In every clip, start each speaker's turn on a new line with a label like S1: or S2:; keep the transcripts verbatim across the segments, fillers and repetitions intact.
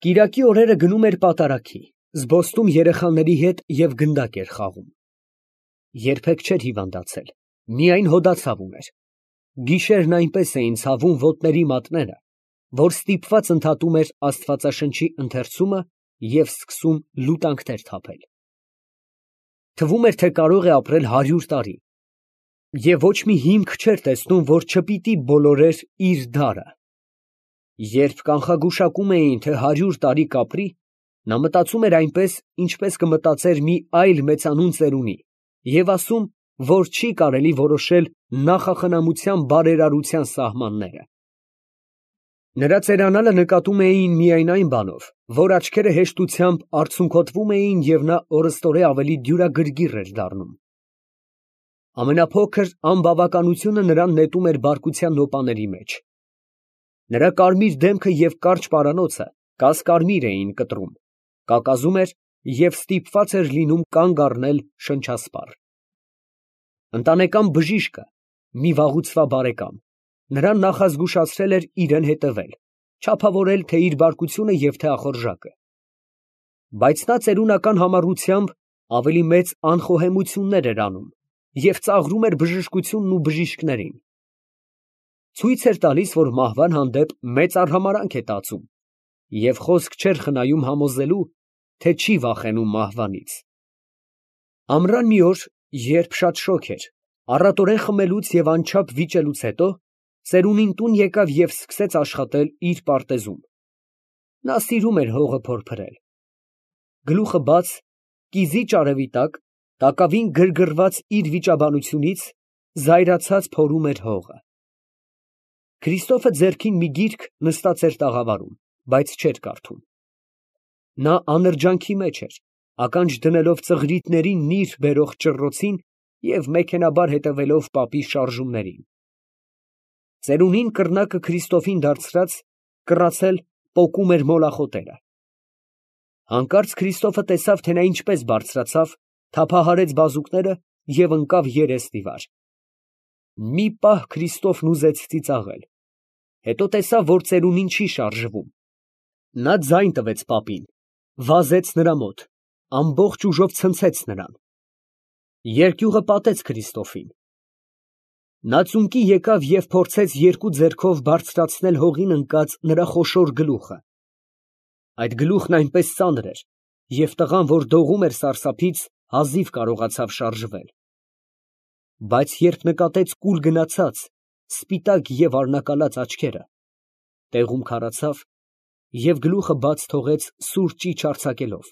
S1: Կիրակի օրերը գնում էր պատարագի, զբոսնում երեխաների հետ և գնդակ էր խաղում։ Երբեք չէր հիվանդացել, միայն հոդացավ ուներ։ Գիշերն այնպես էին ցավում ոտների մատները, որ ստիպված ընդհատում էր աստվածաշնչի ընթերցումը և սկսում լուտանքներ թափել։ Թվում էր, թե կարող է ապրել հարյուր տարի, և ոչ մի հիմք չէր տեսնում, որ չպիտի բոլորեր իր դարը։ Երբ կանխագուշակում էին, թե հարյուր տարի կապրի, նա մտածում էր այնպես, ինչպես կմտածեր մի այլ մեծանուն ծերունի, և ասում, որ չի կարելի որոշել նախախնամության բարերարության սահմանները։ Նրա ծերանալը նկատում էին միայն այն բանով, որ աչքերը հեշտությամբ արցունքոտվում էին և նա օրըստօրե ավելի դյուրագրգիռ էր դառնում։ Ամենափոքր անբավականությունը նրան նետում էր բարկության նոպաների մեջ։ Նրա կարմիր դեմքը և կարճ պարանոցը կասկարմիր էին կտրում, կակազում էր և ստիպված էր լինում կանգ առնել շնչասպառ։ Ընտանեկան բժիշկը, մի վաղուցվա բարեկամ, նրան նախազգուշացրել էր իրան հետևել, չափավորել թե իր բարկությունը և թե ախորժակը։ Բայց նա ծերունական համառությամբ ավելի մեծ անխոհեմություններ էր անում և ծաղրում էր բժշկությունն ու բժիշկներին։ Ցույց էր տալիս, որ մահվան հանդեպ մեծ արհամարհանք է տածում և խոսք չէր խնայում համոզելու, թե չի վախենում մահվանից։ Ամռան մի օր, երբ շատ շոգ էր, առատորեն խմելուց և անչափ վիճելուց հետո, ծերունին տուն եկավ և սկսեց աշխատել իր պարտեզում։ Նա սիրում էր հողը փորփրել։ Գլուխը բաց, կիզիչ արևի տակ, տակավին գրգռված իր վիճաբանությունից, զայրացած փորում էր հողը։ Քրիստոֆը ձեռքին մի գիրք նստած էր տաղավարում, բայց չէր կարդում։ Նա անրջանքի մեջ էր, ականջ դնելով ծղրիդներին նիր բերող ճռռոցին և մեքենայաբար հետևելով պապի շարժումներին։ Ծերունին կռնակը Քրիստոֆին դարձրած, կռացել պոկում էր մոլախոտերը։ Հանկարծ Քրիստոֆը տեսավ, թե նա ինչպես բարձրացավ, թափահարեց բազուկները և ընկավ երեսնիվար։ Մի պահ Քրիստոֆն ուզեց ծիծաղել, հետո տեսավ, որ ծերունին չի շարժվում։ Նա ձայն տվեց պապին, վազեց նրա մոտ, ամբողջ ուժով ցնցեց նրան։ Երկյուղը պատեց Քրիստոֆին։ Նա ծունկի եկավ և փորձեց երկու ձեռքով բարձրացնել հողին ընկած նրա խոշոր գլուխը։ Այդ գլուխն այնպես ծանր էր, և տղան, որ դողում էր սարսափից, հազիվ կարողացավ շարժվել։ Բայց երբ նկատեց կուլ գնացած, սպիտակ և արնակալած աչքերը, տեղում քարացավ և գլուխը բաց թողեց սուր ճիչ արձակելով։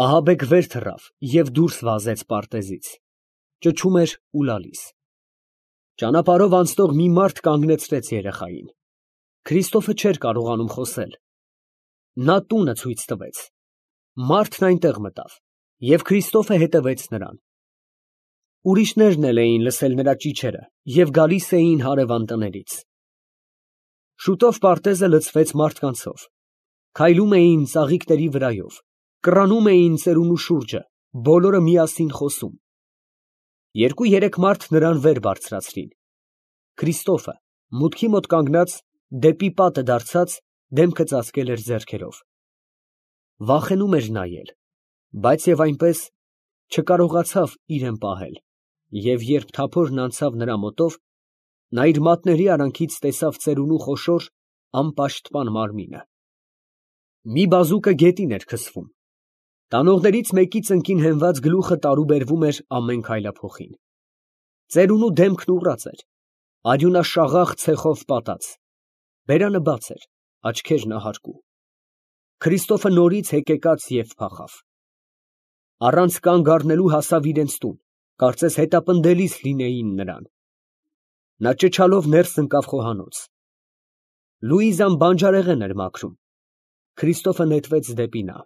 S1: Ահաբեկ վեր թռավ և դուրս վազեց պարտեզից, ճչում էր ու լալիս։ Ճանապարհով անցնող մի մարդ կանգնեցրեց երեխային։ Քրիստոֆը չէր կարողանում խոսել։ Նա տունը ցույց տվեց։ Մարդն այնտեղ մտավ, և Քրիստոֆը հետևեց նրան։ Ուրիշներն էլ էին լսել նրա ճիչերը և գալիս էին հարևան տներից։ Շուտով պարտեզը լցվեց մարդկանցով։ Քայլում էին ծաղիկների վրայով, կռանում էին ծերունու շուրջը, բոլորը միասին խոսում։ Երկու֊երեք մարդ նրան վեր բարձրացրին։ Քրիստոֆը, մուտքի մոտ կանգնած, դեպի պատը դարձած, դեմքը ծածկել էր ձեռքերով։ Վախենում էր նայել, բայց և այնպես չկարողացավ իրան պահել, և երբ թափորն անցավ նրա մոտով, նա իր մատների արանքից տեսավ ծերունու խոշոր, անպաշտպան մարմինը։ Մի բազուկը գետին էր քսվում։ Տանողներից մեկի ծնկին հենված գլուխը տարուբերվում էր ամեն քայլափոխին։ Ծերունու դեմքն ուռած էր, արյունաշաղախ ցեխով պատած, բերանը բաց էր, աչքերն ահարկու։ Քրիստոֆը նորից հեկեկաց և փախավ։ Առանց կանգ առնելու հասավ իրենց տուն, կարծես հետապնդելիս լինեին նրան։ Նա ճչալով ներս ընկավ խոհանոց։ Լուիզան բանջարեղեն էր մաքրում։ Քրիստոֆը նետվեց դեպի նա։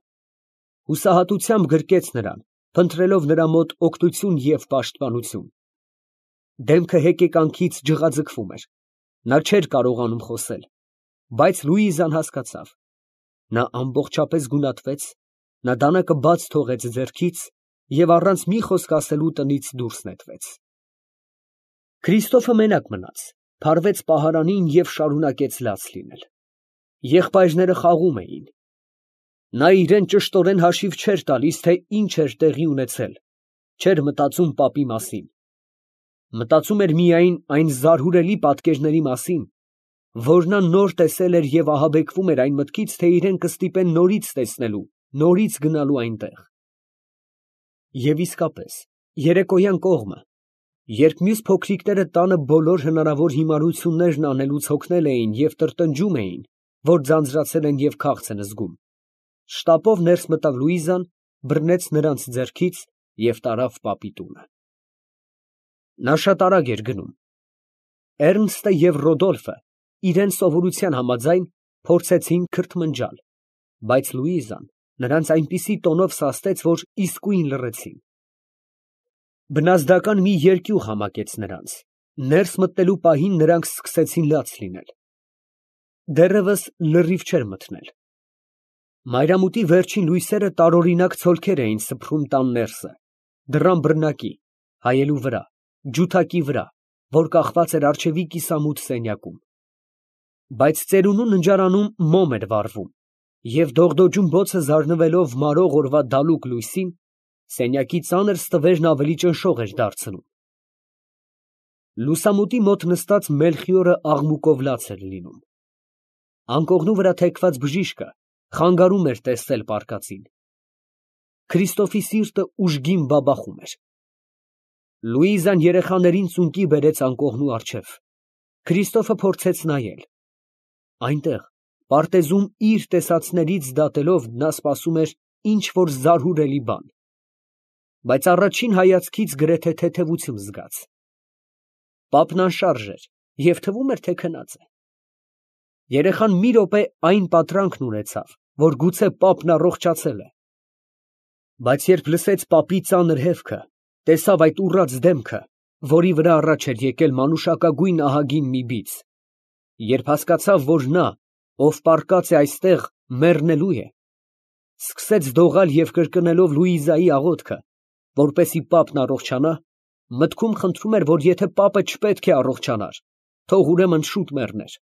S1: Հուսահատությամբ գրկեց նրան, փնտրելով նրա մոտ օգնություն և պաշտպանություն։ Դեմքը հեկեկանքից ջղաձգվում էր։ Նա չէր կարողանում խոսել, բայց Լուիզան հասկացավ։ Նա ամբողջապես գունատվեց, նա դանակը բաց թողեց ձեռքից և առանց մի խոսք ասելու տնից դուրս նետվեց։ Քրիստոֆը մենակ մնաց, փարվեց պահարանին և շարունակեց լաց լինել։ Եղբայրները խաղում էին։ Նա իրեն ճշտորեն հաշիվ չէր տալիս, թե ինչ էր տեղի ունեցել, չէր մտածում պապի մասին։ Մտածում էր միայն այն զարհուրելի պատկերների մասին, որ նա նոր տեսել էր և ահաբեկվում էր այն մտքից, թե իրեն կստիպեն նորից տեսնելու, նորից գնալու այնտեղ։ Եվ իսկապես, երեկոյան կողմը, երբ մյուս փոքրիկները տանը բոլոր հնարավոր հիմարություններն անելուց հոգնել էին և տրտնջում էին, որ ձանձրացել են և քաղց են զգում, շտապով ներս մտավ Լուիզան, բռնեց նրանց ձեռքից և տարավ պապի տունը։ Նա շատ արագ էր գնում։ Էռնստը և Ռոդոլֆը, իրենց սովորության համաձայն, փորձեցին քրթմնջալ, բայց Լուիզան նրանց այնպիսի տոնով սաստեց, որ իսկույն լռեցին։ Բնազդական մի երկյուղ համակեց նրանց, ներս մտնելու պահին նրանք սկսեցին լաց լինել։ Դեռևս լրիվ չէր մթնել։ Մայրամուտի վերջին լույսերը տարօրինակ ցոլքեր էին սփռում տան ներսը, դռան բռնակի, հայելու վրա, ջութակի վրա, որ կախված էր առջևի կիսամութ սենյակում։ Բայց ծերունու ննջարանում մոմ էր վառվում, և դողդոջուն բոցը զարնվելով մարող օրվա դալուկ լույսին, սենյակի ծանր ստվերն ավելի ճնշող էր դարձնում։ Լուսամուտի մոտ նստած Մելխիորը աղմուկով լաց էր լինում։ Անկողնու վրա թեքված բժիշկը խանգարում էր տեսնել պառկածին։ Քրիստոֆի սիրտը ուժգին բաբախում էր։ Լուիզան երեխաներին ծունկի բերեց անկողնու առջև։ Քրիստոֆը փորձեց նայել։ Այնտեղ, պարտեզում իր տեսածներից դատելով, նա սպասում էր ինչ֊որ զարհուրելի բան, բայց առաջին հայացքից գրեթե թեթևություն զգաց։ Պապն անշարժ էր և թվում էր, թե քնած է։ Երեխան մի րոպե այն պատրանքն ունեցավ, որ գուցե պապն առողջացել է, բայց երբ լսեց պապի ծանր հևքը, տեսավ այդ ուռած դեմքը, որի վրա առաջ էր եկել մանուշակագույն ահագին մի բիծ, երբ հասկացավ, որ նա, ով պառկած է այստեղ, մեռնելու է, սկսեց դողալ և կրկնելով Լուիզայի աղոթքը, որպեսզի պապն առողջանա, մտքում խնդրում էր, որ եթե պապը չպետք է առողջանար, թող ուրեմն շուտ մեռներ։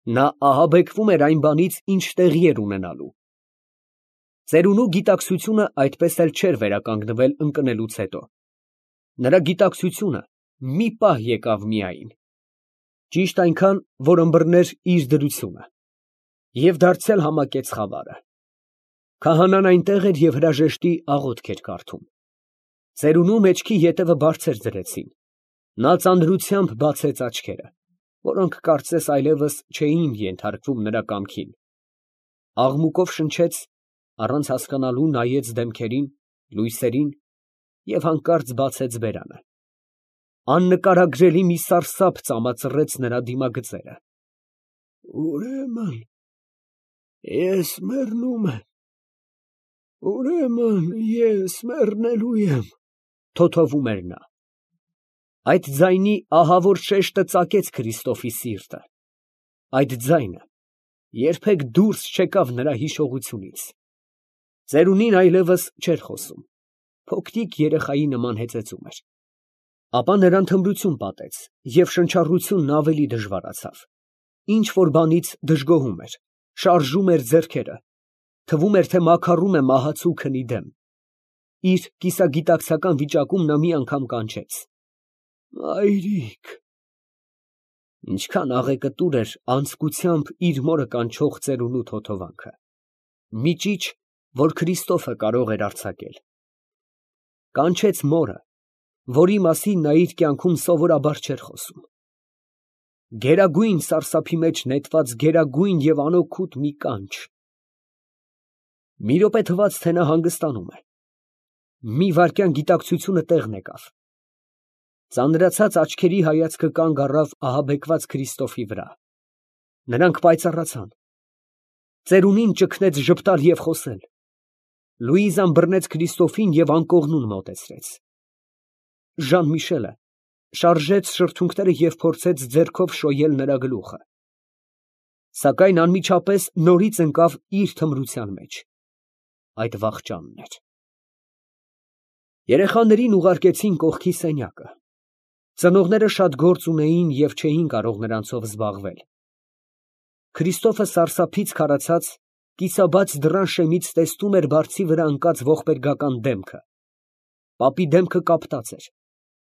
S1: Նա ահաբեկվում էր այն բանից, ինչ տեղի էր ունենալու։ Ծերունու գիտակցությունը այդպես էլ չէր վերականգնվել ընկնելուց հետո։ Նրա գիտակցությունը մի պահ եկավ միայն, ճիշտ այնքան, որ ըմբռներ իր դրությունը, և դարձյալ համակեց խավարը։ Քահանան այնտեղ էր և հրաժեշտի աղոթք էր կարդում։ Ծերունու մեջքի ետևը բարձր դրեցին։ Նա ծանրությամբ բացեց աչքերը, որոնք կարծես այլևս չէին ենթարկվում նրա կամքին, աղմուկով շնչեց, առանց հասկանալու նայեց դեմքերին, լույսերին և հանկարծ բացեց բերանը։ Աննկարագրելի մի սարսափ ծամածռեց նրա դիմագծերը։ «Ուրեմն ես մեռնում եմ, ուրեմն ես մեռնելու եմ», թոթովում էր նա։ Այդ ձայնի ահավոր շեշտը ծակեց Քրիստոֆի սիրտը։ Այդ ձայնը երբեք դուրս չեկավ նրա հիշողությունից։ Ծերունին այլևս չէր խոսում, փոքրիկ երեխայի նման հեծեծում էր։ Ապա նրան թմրություն պատեց, և շնչառությունն ավելի դժվարացավ։ Ինչ֊որ բանից դժգոհում էր, շարժում էր ձեռքերը, թվում էր, թե մաքառում է մահացու քնի դեմ։ Իր կիսագիտակցական վիճակում նա մի անգամ կանչեց. «Մայրիկ»։ Ինչքան աղեկտուր էր անձկությամբ իր մորը կանչող ծերունու թոթովանքը։ Մի ճիչ, որ Քրիստոֆը կարող էր արձակել։ Կանչեց մորը, որի մասին նա իր կյանքում սովորաբար չէր խոսում։ Գերագույն սարսափի մեջ նետված գերագույն և անօգուտ մի կանչ։ Մի րոպե թվաց, թե նա հանգստանում է։ Մի վայրկյան գիտակցությունը տեղն եկավ։ Ծանրացած աչքերի հայացքը կանգ առավ ահաբեկված Քրիստոֆի վրա։ Նրանք պայծառացան։ Ծերունին ճգնեց ժպտալ և խոսել։ Լուիզան բռնեց Քրիստոֆին և անկողնուն մոտեցրեց։ Ժան֊Միշելը շարժեց շրթունքները և փորձեց ձեռքով շոյել նրա գլուխը, սակայն անմիջապես նորից ընկավ իր թմրության մեջ։ Այդ վախճանն էր։ Երեխաներին ուղարկեցին կողքի սենյակը։ Ծնողները շատ գործ ունեին և չէին կարող նրանցով զբաղվել։ Քրիստոֆը սարսափից քարացած, կիսաբաց դռան շեմից տեսնում էր բարձի վրա ընկած ողբերգական դեմքը. պապի դեմքը կապտած էր,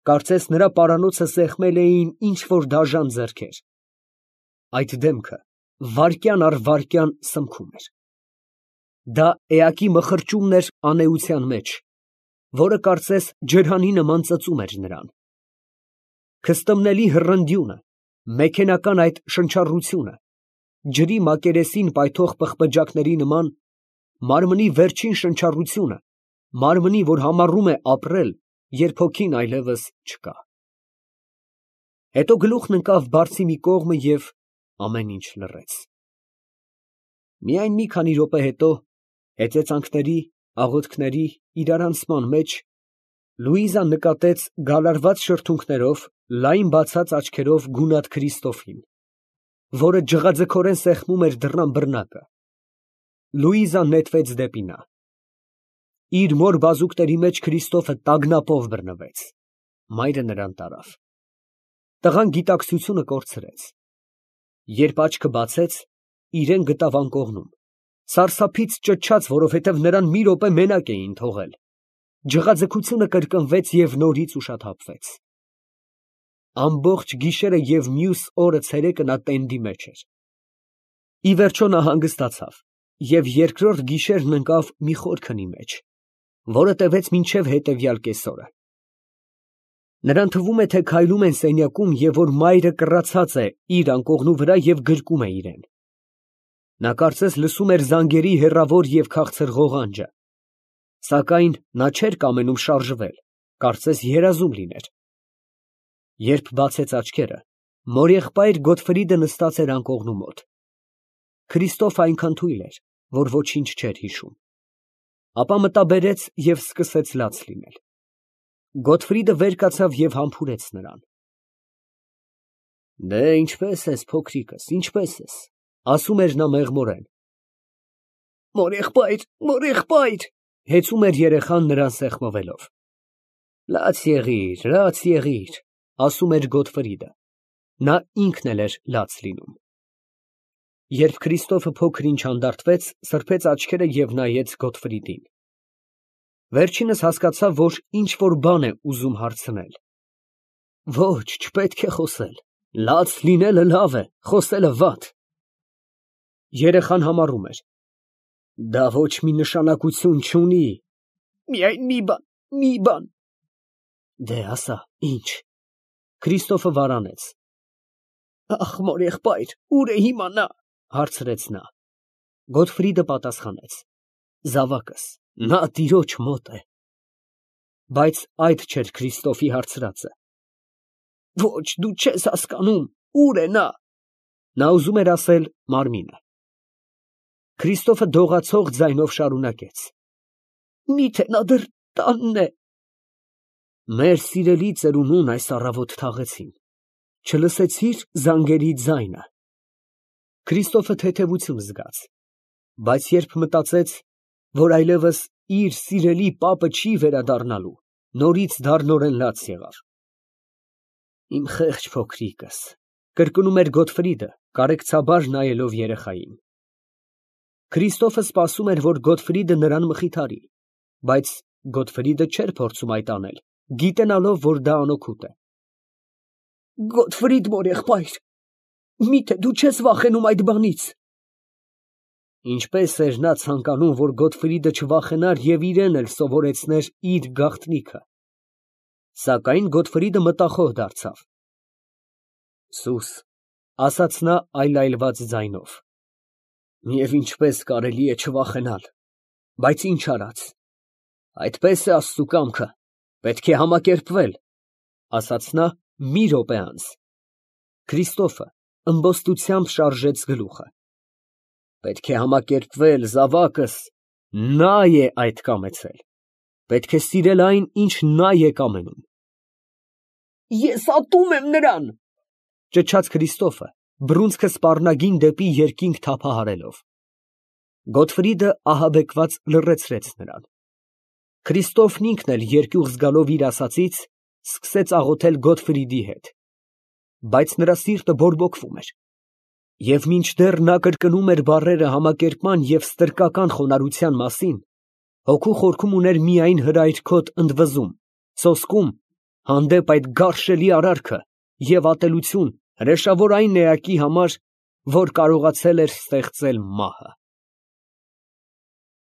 S1: կարծես նրա պարանոցը սեղմել էին ինչ֊որ դաժան ձեռքեր. այդ դեմքը վայրկյան առ վայրկյան սմքում էր. դա էակի մխրճումն էր անէության մեջ, որը կարծես ջրհանի նման ծծում էր նրան. քստմնելի հռնդյունը, մեքենական այդ շնչառությունը, ջրի մակերեսին պայթող պղպջակների նման, մարմնի վերջին շնչառությունը, մարմնի, որ համառում է ապրել, երբ հոգին այլևս չկա։ Հետո գլուխն ընկավ բարձի մի կողմը և ամեն ինչ լռեց։ Միայն մի քանի րոպե հետո, հեծեծանքների, աղոթքների իրարանցման մեջ, Լուիզան նկատեց գալարված շրթունքներով, լայն բացած աչքերով գունատ Քրիստոֆին, որը ջղաձգորեն սեղմում էր դռան բռնակը։ Լուիզան նետվեց դեպի նա։ Իր մոր բազուկների մեջ Քրիստոֆը տագնապով բռնվեց։ Մայրը նրան տարավ։ Տղան գիտակցությունը կորցրեց։ Երբ աչքը բացեց, իրեն գտավ անկողնում, սարսափից ճչաց, որովհետև նրան մի րոպե մենակ էին թողել։ Ջղաձգությունը կրկնվեց և նորից ուշաթափվեց։ Ամբողջ գիշերը և մյուս օրը ցերեկը նա տենդի մեջ էր։ Ի վերջո նա հանգստացավ և երկրորդ գիշերն ընկավ մի խոր քնի մեջ, որը տևեց մինչև հետևյալ կեսօրը։ Նրան թվում է, թե քայլում են սենյակում և որ մայրը կռացած է իր անկողնու վրա և գրկում է իրեն։ Նա կարծես լսում էր զանգերի հեռավոր և քաղցր ղողանջը, սակայն նա չէր կամենում շարժվել, կարծես երազում լիներ։ Երբ բացեց աչքերը, մորեղբայր Գոտֆրիդը նստած էր անկողնու մոտ։ Քրիստոֆը այնքան թույլ էր, որ ոչինչ չէր հիշում։ Ապա մտաբերեց և սկսեց լաց լինել։ Գոտֆրիդը վեր կացավ և համբուրեց նրան։ Դե, ինչպե՞ս ես, փոքրիկս, ինչպե՞ս ես, ասում էր նա մեղմորեն։ Մորեղբայր, մորեղբայր, հեծում էր երեխան նրան սեղմվելով։ Լաց եղիր, լաց եղիր, ասում էր Գոտֆրիդը։ Նա ինքն էլ էր լաց լինում։ Երբ Քրիստոֆը փոքր ինչ հանդարտվեց, սրբեց աչքերը և նայեց Գոտֆրիդին։ Վերջինս հասկացավ, որ ինչ֊որ բան է ուզում հարցնել։ Ոչ, չպետք է խոսել, լաց լինելը լավ է, խոսելը վատ։ Երեխան համառում էր. Դա ոչ մի նշանակություն չունի։ Միայն մի բան, մի բան։ Դե ասա, ինչ։ Քրիստոֆը վարանեց։ Ախ, մորեղբայր, ուր է հիմա նա, հարցրեց նա։ Գոտֆրիդը պատասխանեց. Զավակս, նա տիրոջ մոտ է։ Բայց այդ չէր Քրիստոֆի հարցրածը։ Ոչ, դու չես հասկանում, ուր է նա։ Նա ուզում էր ասել մարմինը։ Քրիստոֆը դողացող ձայնով շարունակեց. Միթե նա դեռ տանն է։ Մեր սիրելի ծերունուն այս առավոտ թաղեցին, չլսեցի՞ր զանգերի ձայնը։ Քրիստոֆը թեթևություն զգաց, բայց երբ մտածեց, որ այլևս իր սիրելի պապը չի վերադառնալու, նորից դառնորեն լաց եղավ։ Իմ խեղճ փոքրիկս, կրկնում էր Գոտֆրիդը, կարեկցաբար նայելով երեխային։ Քրիստոֆը սպասում էր, որ Գոտֆրիդը նրան մխիթարի, բայց Գոտֆրիդը չէր փորձում այդ անել, գիտենալով, որ դա անօգուտ է։ Գոտֆրիդ մորեղբայր, միթե դու չես վախենում այդ բանից։ Ինչպես էր նա ցանկանում, որ Գոտֆրիդը չվախենար և իրեն էլ սովորեցներ իր գաղտնիքը։ Սակայն Գոտֆրիդը մտախոհ դարձավ։ Սուս, ասաց նա այլայլված ձայնով։ Եվ ինչպես կարելի է չվախենալ, բայց ինչ արած։ Այդպես է Աստծու կամքը, պետք է համակերպվել, ասաց նա մի րոպե անց։ Քրիստոֆը ըմբոստությամբ շարժեց գլուխը։ Պետք է համակերպվել, զավակս, նա է այդ կամեցել։ Պետք է սիրել այն, ինչ նա է կամենում։ Ես ատում եմ նրան, ճչաց Քրիստոֆը, բռունցքը սպառնագին դեպի երկինք թափահարելով։ Գոտֆրիդը ահաբեկված լռեցրեց նրան։ Քրիստոֆն ինքն էլ երկյուղ զգալով իր ասածից, սկսեց աղոթել Գոտֆրիդի հետ, բայց նրա սիրտը բորբոքվում էր։ Եվ մինչդեռ նա կրկնում էր բառերը համակերպման և ստրկական խոնարհության մասին, հոգու խորքում ուներ միայն հրայրքոտ ընդվզում, սոսկում, հանդեպ այդ գարշելի արարքը և ատելություն հրեշավոր այն էակի համար, որ կարողացել էր ստեղծել մահը։